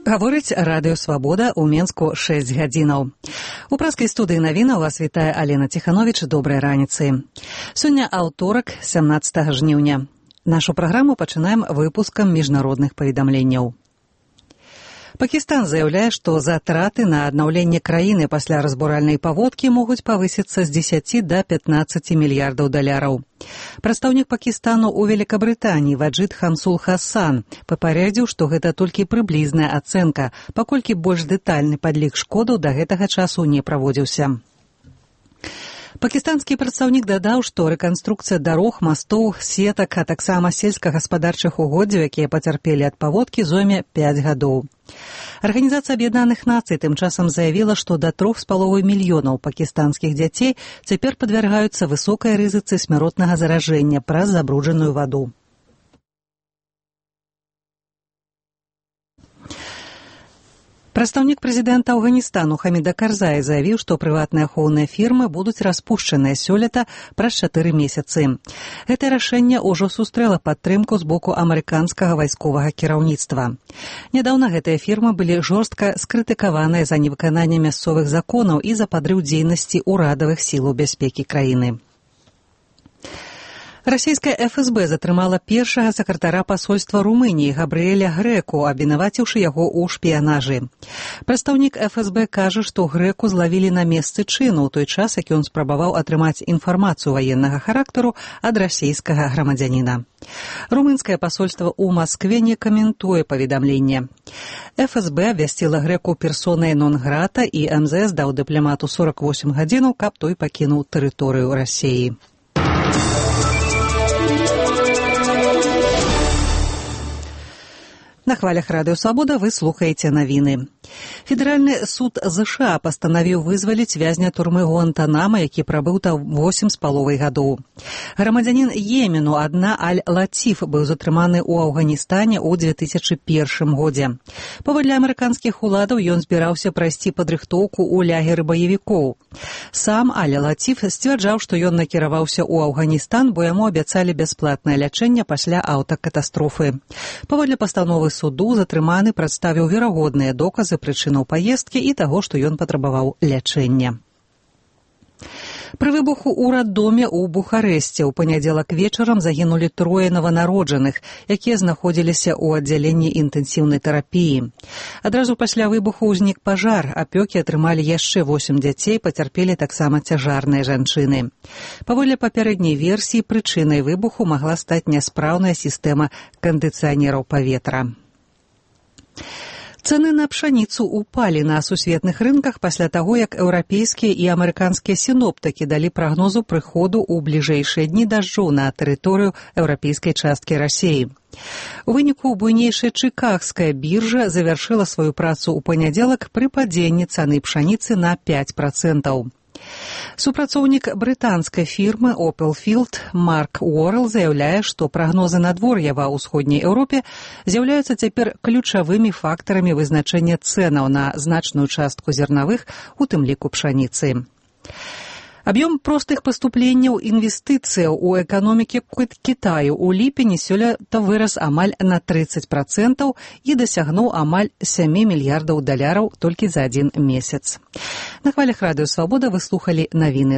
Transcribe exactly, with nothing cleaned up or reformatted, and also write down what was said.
Гаворыць радыё «Свабода» ў Менску шэсць гадзінаў. У праскай студыі навінаў вас вітае Алена Ціхановіч. Добрай раніцы. Сёння аўторак, сямнаццатага жніўня. Нашу праграму пачынаем выпускам міжнародных паведамленняў. Пакістан заяўляе, што затраты на аднаўленне краіны пасля разбуральнай паводкі могуць павысіцца з дзесяці да пятнаццаці мільярдаў даляраў. Прадстаўнік Пакістану ў Великабрытаніі Ваджид Хансул Хасан папярэдзіў, што гэта толькі прыблізная ацэнка, паколькі больш дэтальны падлік шкодаў да гэтага часу не праводзіўся. Пакістанскі прадстаўнік дадаў, што рэканструкцыя дарог, мастоў, сетак, а таксама сельскагаспадарчых угоддзяў, якія пацярпелі ад паводкі, зойме пяць гадоў. Арганізацыя Аб'яднаных Нацый тым часам заявіла, што да трох з паловай мільёнаў пакістанскіх дзяцей цяпер падвяргаюцца высокай рызыцы смяротнага заражэння праз забруджаную ваду. Прадстаўнік прэзідэнта Афганістану Хаміда Карзая заявіў, што прыватныя ахоўныя фірмы будуць распушчаныя сёлета праз чатыры месяцы. Гэтае рашэнне ўжо сустрэла падтрымку з боку амерыканскага вайсковага кіраўніцтва. Нядаўна гэтыя фірмы былі жорстка скрытыкаваныя за невыкананне мясцовых законаў і за падрыў дзейнасці ўрадавых сілаў бяспекі краіны. Расійская эф эс бэ затрымала першага сакратара пасольства Румыніі Габрыэля Грэку, абвінаваціўшы яго ў шпіянажы. Прадстаўнік эф эс бэ кажа, што Грэку злавілі на месцы чыну ў той час, як ён спрабаваў атрымаць інфармацыю ваеннага характару ад расійскага грамадзяніна. Румынскае пасольства ў Маскве не каментуе паведамленне. эф эс бэ абвясціла Грэку персонай нон-грата і эм зэ эс даў дыпламату сорак восем гадзінаў, каб той пакінуў тэрыторыю Расіі. На хвалях радыё «Свабода» вы слухаеце навіны. Федэральны суд ЗША пастанавіў вызваліць вязня турмы Гуантанамо, які прабыў там восем з паловай гадоў. Грамадзянін Йемену Адна Аль-Лаціф быў затрыманы ў Афганістане ў дзве тысячы першым годзе. Паводле амерыканскіх уладаў ён збіраўся прайсці падрыхтоўку ў лагеры баевікоў. Сам Аль-Лаціф сцвярджаў, што ён накіраваўся ў Афганістан, бо яму абяцалі бясплатнае лячэнне пасля аўтакатастрофы. Паводле пастановы суду затрыманы прадставіў верагодныя доказы прычынаў паездкі і таго, што ён патрабаваў лячэння. Пры выбуху ў раддоме ў Бухарэсце ў панядзелак вечарам загінулі трое нованароджаных, якія знаходзіліся ў аддзяленні інтэнсіўнай тэрапіі. Адразу пасля выбуху ўзнік пажар, апёкі атрымалі яшчэ восем дзяцей, пацярпелі таксама цяжарныя жанчыны. Паводле папярэдняй версіі, прычынай выбуху магла стаць няспраўная сістэма кандыцыянераў паветра. Цэны на пшаніцу упалі на сусветных рынках пасля таго, як еўрапейскія і амерыканскія сіноптыкі далі прагнозу прыходу ў бліжэйшыя дні дажджоў на тэрыторыю еўрапейскай часткі Расіі. У выніку буйнейшая чыкагская біржа завяршыла сваю працу ў панядзелак пры падзенні цаны пшаніцы на пяць працэнтаў. Супрацоўнік брытанскай фірмы Opel Field Марк Уоррел заяўляе, што прагнозы надвор'я ва ўсходняй Еўропе з'яўляюцца цяпер ключавымі фактарамі вызначэння цэнаў на значную частку зернавых, у тым ліку пшаніцы. Аб'ём простых паступленняў інвестыцыяў у эканомікі Кітаю ў ліпені сёлета вырас амаль на трыццаць працэнтаў і дасягнуў амаль сем мільярдаў даляраў толькі за адзін месяц. На хвалях радыё «Свабода» вы слухалі навіны.